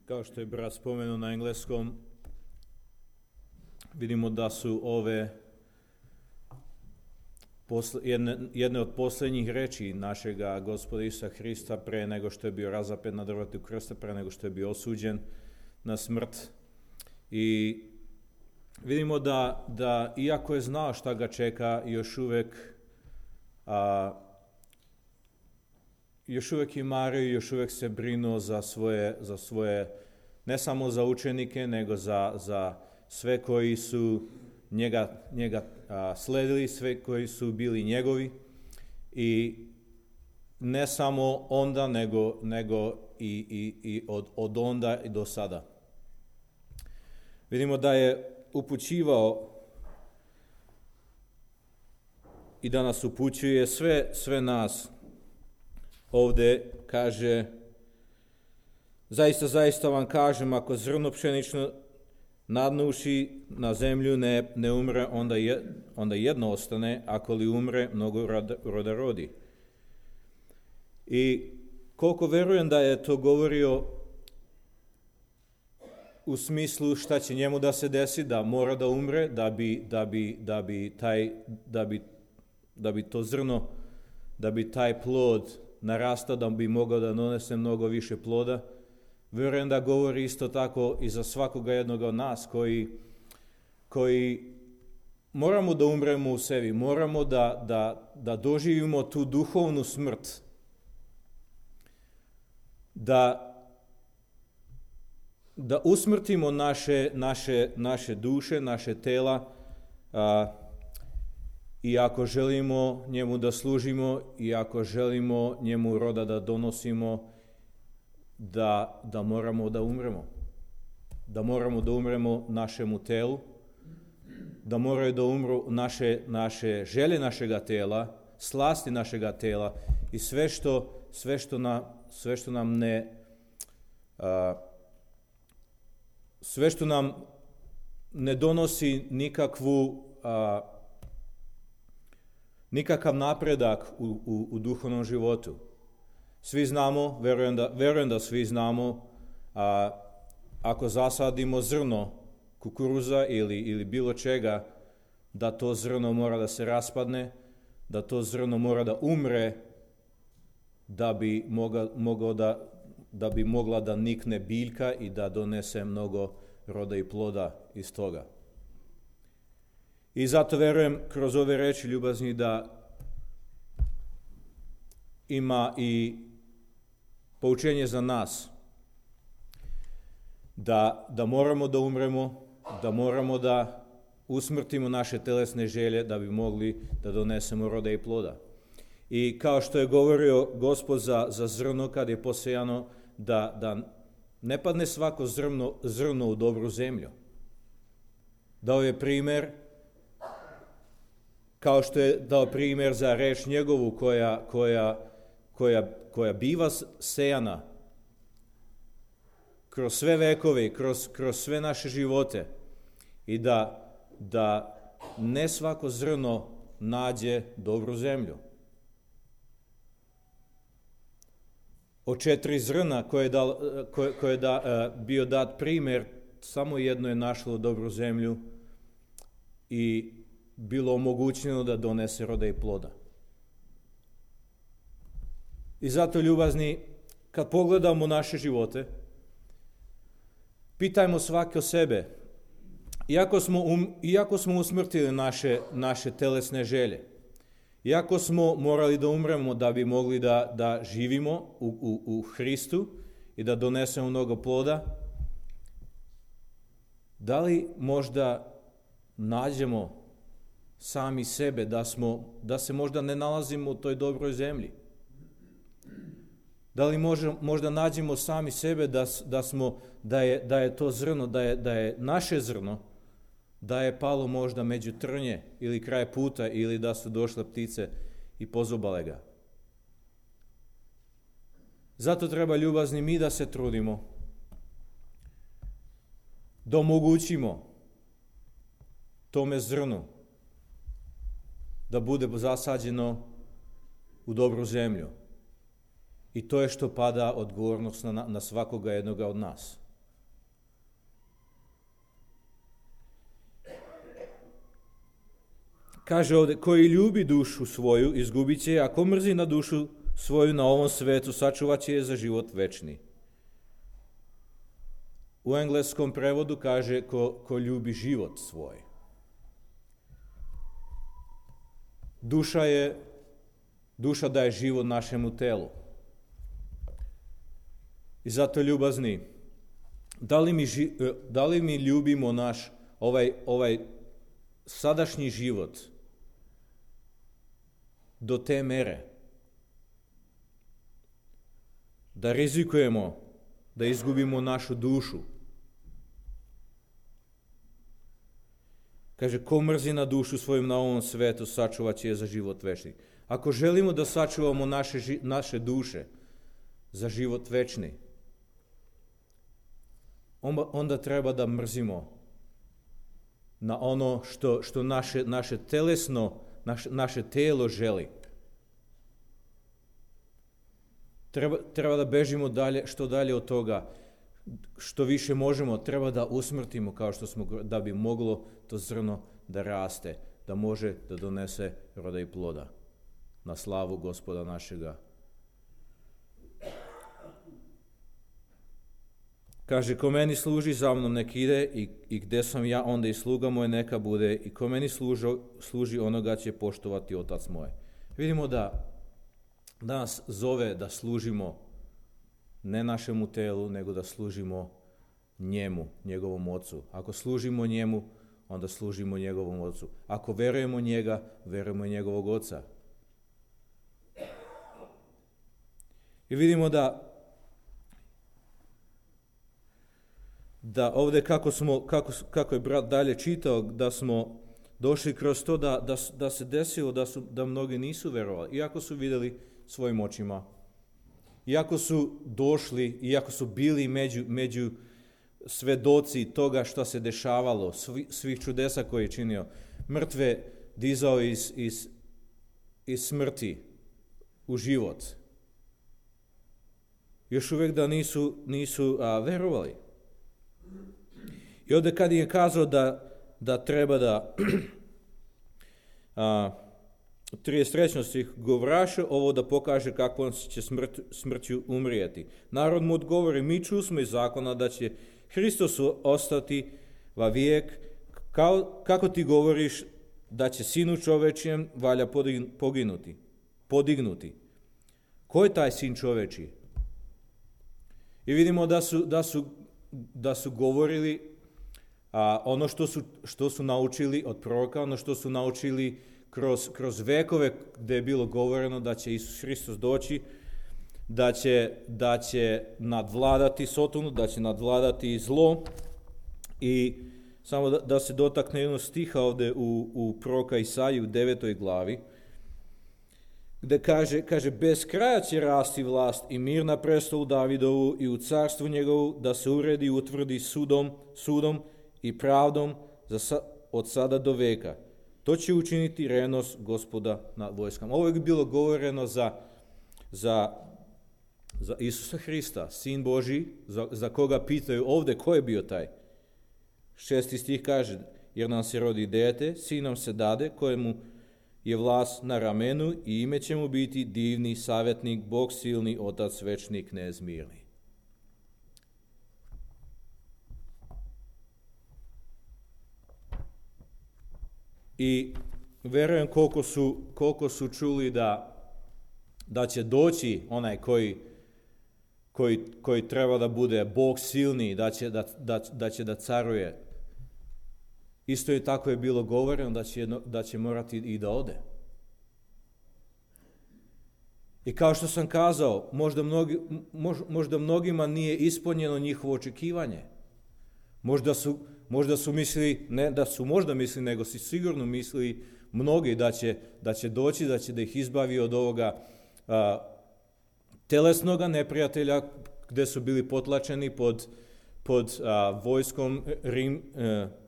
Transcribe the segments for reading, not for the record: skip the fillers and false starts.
Kao što je brat spomenuo na engleskom, vidimo da su ove jedne od posljednjih reči našega Gospoda Isusa Hrista pre nego što je bio razapet na drvetu krsta, pre nego što je bio osuđen na smrt. I vidimo da iako je znao šta ga čeka, još uvijek je mario i još uvijek se brinuo za svoje, ne samo za učenike, nego za sve koji su njega sledili, sve koji su bili njegovi. I ne samo onda, nego i od onda i do sada. Vidimo da je upućivao i da nas upućuje sve nas. Ovdje kaže, zaista vam kažem, ako zrno pšenično nadnuši na zemlju ne umre, onda jedno ostane, ako li umre, mnogo roda rodi. I koliko verujem da je to govorio u smislu šta će njemu da se desi, da mora da umre, da bi to zrno, da bi taj plod narastao, da bi mogao da donese mnogo više ploda. Vjerujem da govori isto tako i za svakoga jednog od nas koji moramo da umremo u sebi, moramo da doživimo tu duhovnu smrt, da usmrtimo naše duše, naše tela, i ako želimo njemu da služimo i ako želimo njemu roda da donosimo, da moramo da umremo. Da moramo da umremo našemu telu, da moraju da umru naše želje našega tela, slasti našega tela i sve što nam ne donosi nikakav napredak u duhovnom životu. Svi znamo, verujem da svi znamo, ako zasadimo zrno kukuruza ili bilo čega, da to zrno mora da se raspadne, da to zrno mora da umre, da bi mogla da nikne biljka i da donese mnogo roda i ploda iz toga. I zato verujem kroz ove reči ljubazni da ima i poučenje za nas, da moramo da umremo, da moramo da usmrtimo naše telesne želje da bi mogli da donesemo roda i ploda. I kao što je govorio Gospod za zrno kad je posejano, da ne padne svako zrno u dobru zemlju. Dao je primjer, kao što je dao primjer za reč njegovu koja biva sejana kroz sve vekove, kroz sve naše živote, i da ne svako zrno nađe dobru zemlju. Od 4 zrna koje je bio dat primjer, samo jedno je našlo dobru zemlju i bilo omogućeno da donese roda i ploda. I zato, ljubazni, kad pogledamo naše živote, pitajmo svaki o sebe. Iako smo usmrtili naše telesne želje, iako smo morali da umremo da bi mogli da živimo u Hristu i da donesemo mnogo ploda, da li možda nađemo sami sebe, da se možda ne nalazimo u toj dobroj zemlji? Da li možda nađemo sami sebe da je to zrno, da je naše zrno, da je palo možda među trnje ili kraj puta, ili da su došle ptice i pozobale ga? Zato treba, ljubazni, mi da se trudimo, da omogućimo tome zrnu da bude zasađeno u dobru zemlju. I to je što pada odgovornost na svakoga jednoga od nas. Kaže ovdje, koji ljubi dušu svoju, izgubit će je, ako mrzi na dušu svoju na ovom svetu, sačuvat će je za život večni. U engleskom prevodu kaže ko ljubi život svoj. Duša daje život našemu telu. I zato ljubazni, da li mi ljubimo naš ovaj sadašnji život do te mere da rizikujemo da izgubimo našu dušu? Kaže, ko mrzi na dušu svojim na ovom svetu, sačuvat će je za život večni. Ako želimo da sačuvamo naše duše za život večni, onda treba da mrzimo na ono što naše telesno, naše telo želi. Treba da bežimo što dalje od toga. Što više možemo, treba da usmrtimo, kao što smo, da bi moglo to zrno da raste, da može da donese roda i ploda na slavu Gospoda našega. Kaže, ko meni služi, za mnom nek ide, i gde sam ja, onda i sluga moj neka bude, i ko meni služi, onoga će poštovati Otac moj. Vidimo da nas zove da služimo ne našemu telu, nego da služimo njemu, njegovom Ocu. Ako služimo njemu, onda služimo njegovom Ocu. Ako verujemo njega, verujemo njegovog Oca. I vidimo da ovdje kako je brat dalje čitao, da smo došli kroz to da se desilo da mnogi nisu verovali, iako su vidjeli svojim očima, iako su došli, iako su bili među svedoci toga što se dešavalo, svih čudesa koje je činio, mrtve dizao iz smrti u život. Još uvijek da nisu verovali. I ovdje kad je kazao da treba da 33. stih govraše ovo da pokaže kako on će smrću umrijeti. Narod mu odgovori, mi čusmo iz zakona da će Hristos ostati va vijek, kako ti govoriš da će sinu čovečijem valja podignuti. Ko je taj sin čovečiji? I vidimo da su govorili ono što su naučili od proroka, ono što su naučili kroz vekove, gdje je bilo govoreno da će Isus Hristos doći, da će nadvladati Sotonu, da će nadvladati zlo. I samo da se dotakne jednog stiha ovdje u proroka Isaiji u 9. glavi, gdje kaže bez kraja će rasti vlast i mir na prestolu Davidovu i u carstvu njegovu, da se uredi i utvrdi sudom i pravdom od sada do veka. To će učiniti revnost Gospoda nad vojskama. Ovo je bilo govoreno za Isusa Hrista, Sin Božji, za koga pitaju ovdje ko je bio taj. 6. stih kaže, jer nam se rodi dete, sin nam se dade, kojemu je vlast na ramenu i ime će mu biti divni savjetnik, Bog silni, Otac večni, knez mirni. I verujem koliko su čuli da će doći onaj koji treba da bude Bog silni, da će da caruje. Isto je tako je bilo govoreno da će morati i da ode. I kao što sam kazao, možda mnogima nije ispunjeno njihovo očekivanje. Možda su mislili, ne da su možda mislili, nego su sigurno mislili mnogi da će doći, da će da ih izbavi od ovoga telesnoga neprijatelja gdje su bili potlačeni pod vojskom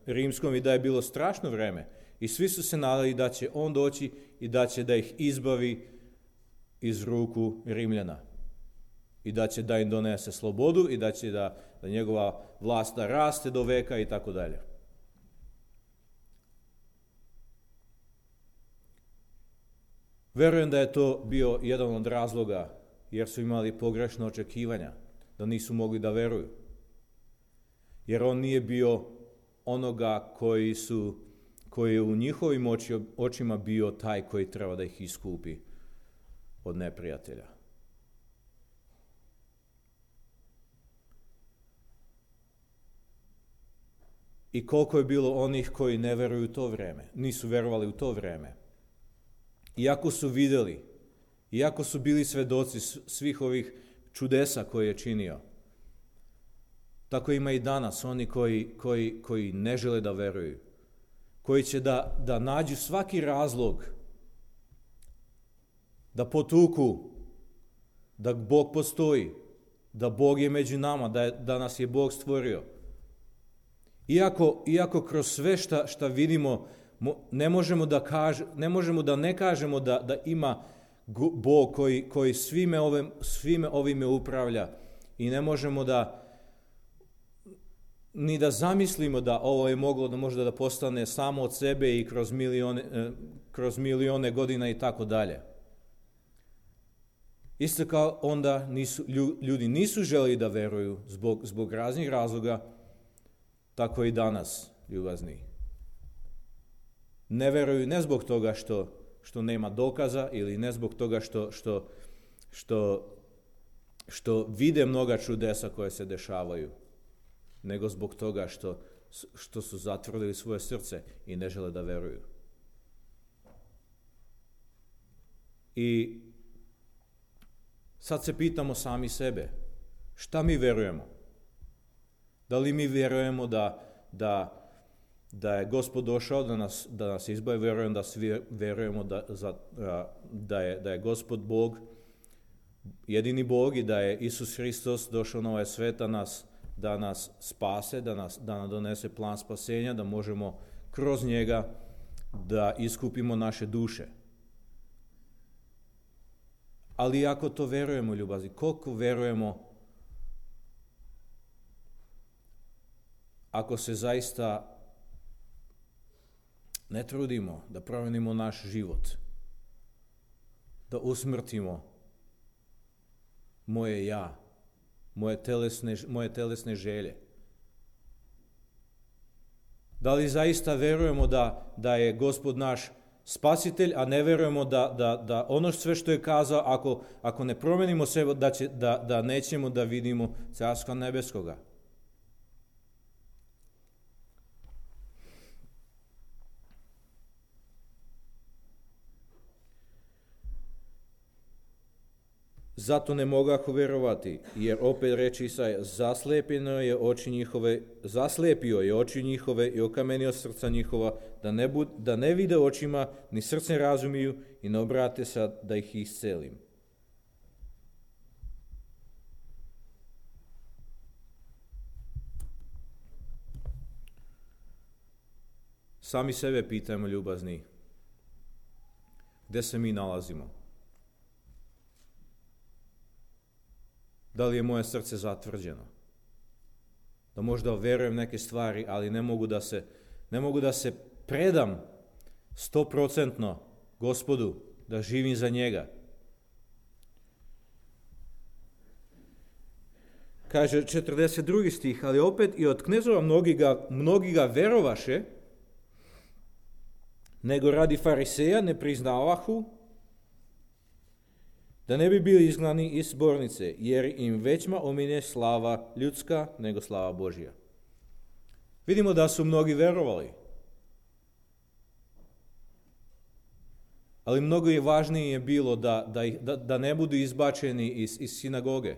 rimskom i da je bilo strašno vreme. I svi su se nadali da će on doći i da će da ih izbavi iz ruku Rimljana. I da će da im donese slobodu i da će da njegova vlast da raste do veka i tako dalje. Verujem da je to bio jedan od razloga, jer su imali pogrešno očekivanja, da nisu mogli da veruju. Jer on nije bio onoga koji je u njihovim očima bio taj koji treba da ih iskupi od neprijatelja. I koliko je bilo onih koji ne veruju u to vreme, nisu verovali u to vreme. Iako su vidjeli, iako su bili svedoci svih ovih čudesa koje je činio, tako ima i danas oni koji ne žele da veruju, koji će da nađu svaki razlog da potuku da Bog postoji, da Bog je među nama, da nas je Bog stvorio. Iako kroz sve šta vidimo, ne možemo da ne kažemo da ima Bog koji svime ovime upravlja i ne možemo ni da zamislimo da ovo je moglo da možda da postane samo od sebe i kroz milione godina i tako dalje. Isto kao onda ljudi nisu želi da veruju zbog raznih razloga, tako i danas, ljubazni. Ne veruju ne zbog toga što nema dokaza ili ne zbog toga što vide mnoga čudesa koje se dešavaju, nego zbog toga što su zatvrdili svoje srce i ne žele da veruju. I sad se pitamo sami sebe, šta mi verujemo? Da li mi vjerujemo da je Gospod došao da nas izbavi? Vjerujem da svi vjerujemo da je Gospod Bog, jedini Bog i da je Isus Hristos došao na ovaj svet da nas spase, da nam donese plan spasenja, da možemo kroz njega da iskupimo naše duše. Ali ako to vjerujemo, ljubavi, koliko vjerujemo ako se zaista ne trudimo da promenimo naš život, da usmrtimo moje ja, moje telesne želje. Da li zaista verujemo da je Gospod naš spasitelj, a ne verujemo da ono sve što je kazao, ako ne promenimo sebe, da nećemo da vidimo Carstva nebeskoga. Zato ne mogahu verovati, jer opet reče Isaja, zaslepio je oči njihove i okamenio srca njihova, da ne vide očima, ni srcem razumiju i ne obrate se da ih iscelim. Sami sebe pitajmo, ljubazni, gde se mi nalazimo? Da li je moje srce zatvrđeno? Da možda verujem neke stvari, ali ne mogu da se predam 100% Gospodu, da živim za njega. Kaže 42. stih, ali opet i od knezova mnogi ga verovaše, nego radi fariseja ne priznavahu, da ne bi bili izgnani iz zbornice, jer im većma omine slava ljudska nego slava Božja. Vidimo da su mnogi verovali. Ali mnogo je važnije bilo da ne budu izbačeni iz sinagoge,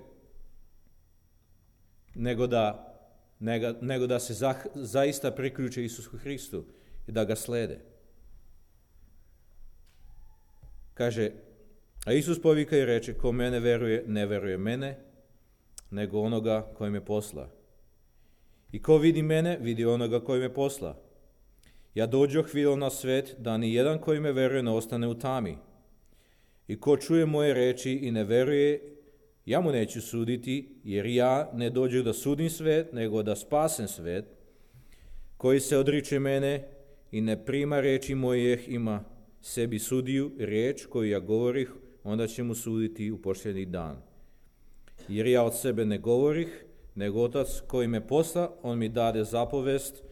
nego da se zaista priključe Isusu Hristu i da ga slede. Kaže, a Isus povika i reče, ko mene veruje, ne veruje mene, nego onoga koji me posla. I ko vidi mene, vidi onoga koji me posla. Ja dođoh vidjel na svet, da ni jedan koji me veruje ne ostane u tami. I ko čuje moje reči i ne veruje, ja mu neću suditi, jer ja ne dođu da sudim svet, nego da spasem svet. Koji se odriče mene i ne prima reči mojih ima sebi sudiju, riječ koju ja govorih, onda će mu suditi u posljednji dan. Jer ja od sebe ne govorih, nego Otac koji me posla, on mi dade zapovest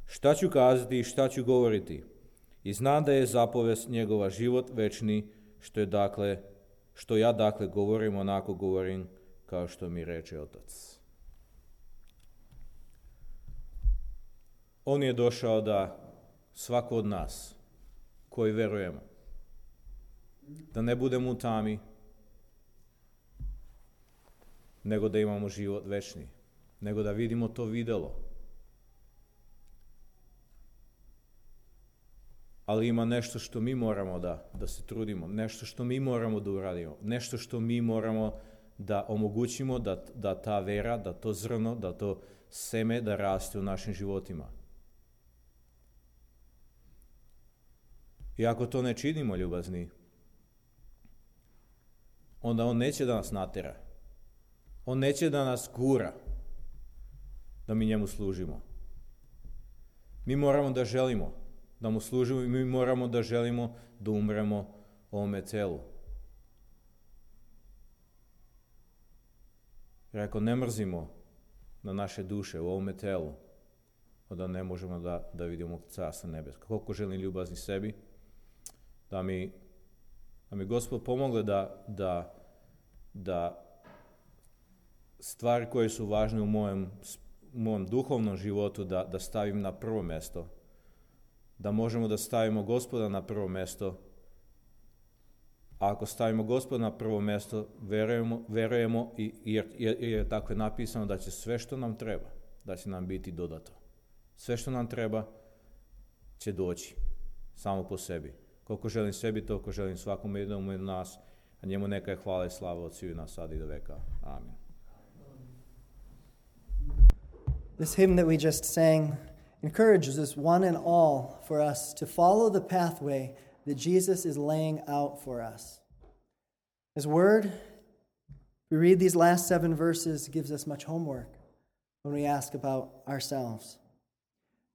šta ću kazati i šta ću govoriti. I znam da je zapovest njegova život večni, što ja dakle govorim, onako govorim kao što mi reče Otac. On je došao da svako od nas koji verujemo, da ne budemo u tami, nego da imamo život večni, nego da vidimo to videlo. Ali ima nešto što mi moramo da se trudimo, nešto što mi moramo da uradimo, nešto što mi moramo da omogućimo da ta vera, da to zrno, da to seme da raste u našim životima. I ako to ne činimo, ljubazni, onda on neće da nas natera. On neće da nas gura da mi njemu služimo. Mi moramo da želimo da mu služimo i mi moramo da želimo da umremo ovome telu. Jer ako ne mrzimo na naše duše u ovome telu, onda ne možemo da vidimo Carstvo nebesko. Koliko želim ljubazni sebi, da mi Gospod pomogle da stvari koje su važne u mojem duhovnom životu da stavim na prvo mjesto, da možemo da stavimo Gospoda na prvo mjesto. A ako stavimo Gospoda na prvo mjesto, verujemo jer je tako napisano da će sve što nam treba, da će nam biti dodato. Sve što nam treba će doći samo po sebi. Koliko želim sebi, toliko želim svakom jednom od nas, a njemu neka je hvala i slava od sviju nas sad i do veka. Amin. This hymn that we just sang encourages us one and all for us to follow the pathway that Jesus is laying out for us. His word, we read these last 7 verses, gives us much homework when we ask about ourselves.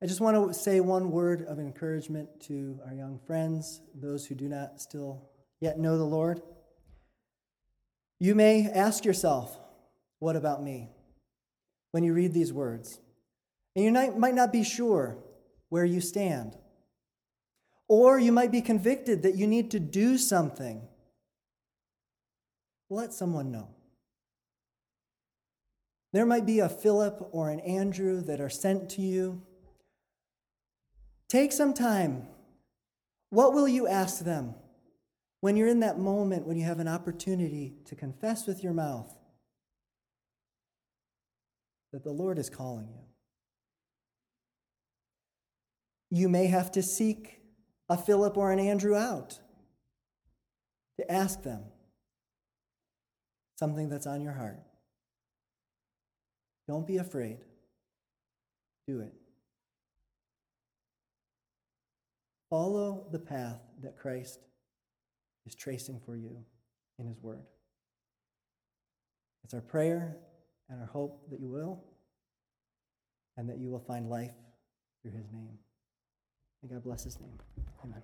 I just want to say one word of encouragement to our young friends, those who do not still yet know the Lord. You may ask yourself, what about me? When you read these words. And you might not be sure where you stand. Or you might be convicted that you need to do something. Let someone know. There might be a Philip or an Andrew that are sent to you. Take some time. What will you ask them when you're in that moment when you have an opportunity to confess with your mouth that the Lord is calling you? You may have to seek a Philip or an Andrew out to ask them something that's on your heart. Don't be afraid. Do it. Follow the path that Christ is tracing for you in His Word. It's our prayer and our hope that you will, and that you will find life through His name. May God bless His name. Amen.